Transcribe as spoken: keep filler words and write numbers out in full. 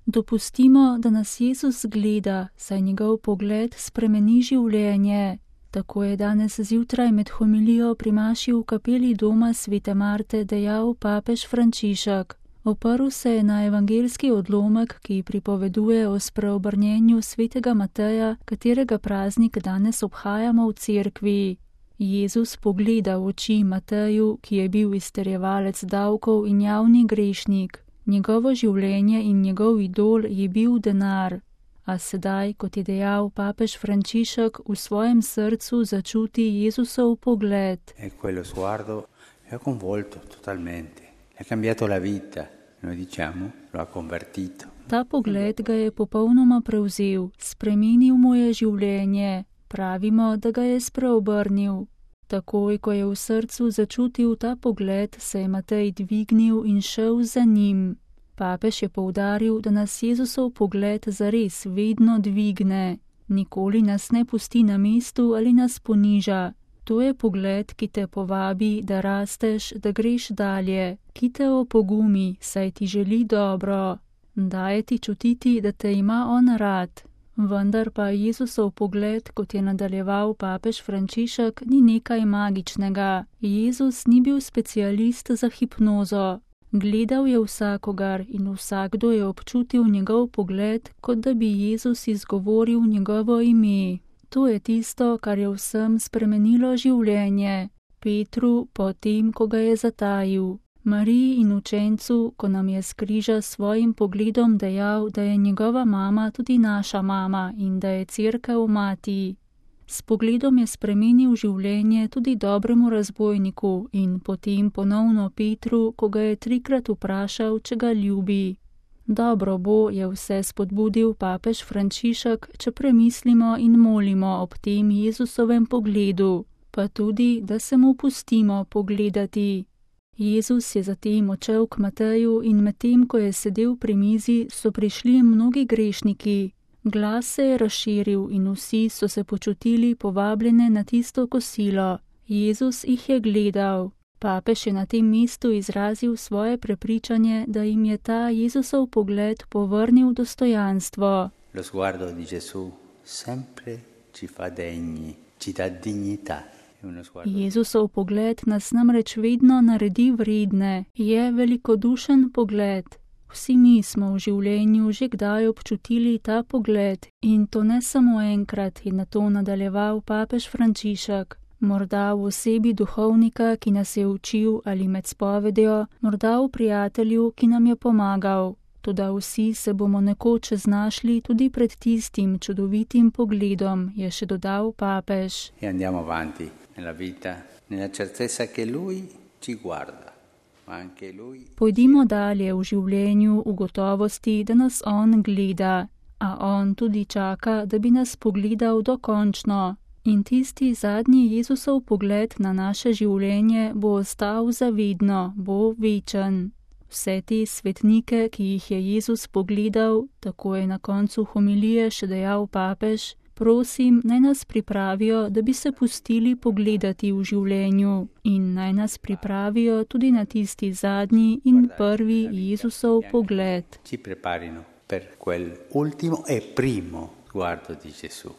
Dopustimo, da nas Jezus gleda, saj njegov pogled spremeni življenje. Tako je danes zjutraj med homilijo pri maši v kapeli doma svete Marte dejal papež Frančišek. Oprl se je na evangeljski odlomek, ki pripoveduje o spreobrnjenju svetega Mateja, katerega praznik danes obhajamo v cerkvi. Jezus pogleda v oči Mateju, ki je bil izterjevalec davkov in javni grešnik. Njegovo življenje in njegov idol je bil denar. A sedaj, kot je dejal papež Frančišek, v svojem srcu začuti Jezusov pogled. E quello sguardo è convolto totalmente. Ha cambiato la vita, noi diciamo, lo ha convertito. Ta pogled ga je popolnoma prevzel, spremenil mu je življenje. Pravimo, da ga je spreobrnil. Takoj, ko je v srcu začutil ta pogled, se je Matej dvignil in šel za njim. Papež je poudaril, da nas Jezusov pogled zares vedno dvigne. Nikoli nas ne pusti na mestu ali nas poniža. To je pogled, ki te povabi, da rasteš, da greš dalje, ki te opogumi, saj ti želi dobro. Daje ti čutiti, da te ima on rad. Vendar pa Jezusov pogled, kot je nadaljeval papež Frančišek, ni nekaj magičnega. Jezus ni bil specialist za hipnozo. Gledal je vsakogar in vsakdo je občutil njegov pogled, kot da bi Jezus izgovoril njegovo ime. To je tisto, kar je vsem spremenilo življenje. Petru, potem, ko ga je zatajil. Mariji in učencu, ko nam je s križa s svojim pogledom dejal, da je njegova mama tudi naša mama in da je cerkev mati. S pogledom je spremenil življenje tudi dobremu razbojniku in potem ponovno Petru, ko ga je trikrat vprašal, če ga ljubi. Dobro bo, je vse spodbudil papež Frančišek, če premislimo in molimo ob tem Jezusovem pogledu, pa tudi, da se mu pustimo pogledati. Jezus je zatem odšel k Mateju in medtem, ko je sedel pri mizi, so prišli mnogi grešniki. Glas se je razširil in vsi so se počutili povabljene na tisto kosilo. Jezus jih je gledal. Papež je na tem mestu izrazil svoje prepričanje, da jim je ta Jezusov pogled povrnil dostojanstvo. Lo sguardo di Gesù sempre ci fa degni, ci dà dignità. Jezusov pogled nas namreč vedno naredi vredne, je velikodušen pogled. Vsi mi smo v življenju že kdaj občutili ta pogled in to ne samo enkrat, je na to nadaljeval papež Frančišek. Morda v osebi duhovnika, ki nas je učil ali med spovedjo, morda v prijatelju, ki nam je pomagal. Toda vsi se bomo nekoč znašli tudi pred tistim čudovitim pogledom, je še dodal papež. E andiamo avanti nella vita, nella certezza che lui ci guarda. Pojdimo dalje v življenju v gotovosti, da nas on gleda, a on tudi čaka, da bi nas pogledal dokončno. In tisti zadnji Jezusov pogled na naše življenje bo ostal zavedno, bo večen. Vse te svetnike, ki jih je Jezus pogledal, tako je na koncu homilije še dejal papež, prosim, naj nas pripravijo, da bi se pustili pogledati v življenju in naj nas pripravijo tudi na tisti zadnji in prvi Jezusov pogled. Ci preparino per quel ultimo e primo sguardo di Gesù.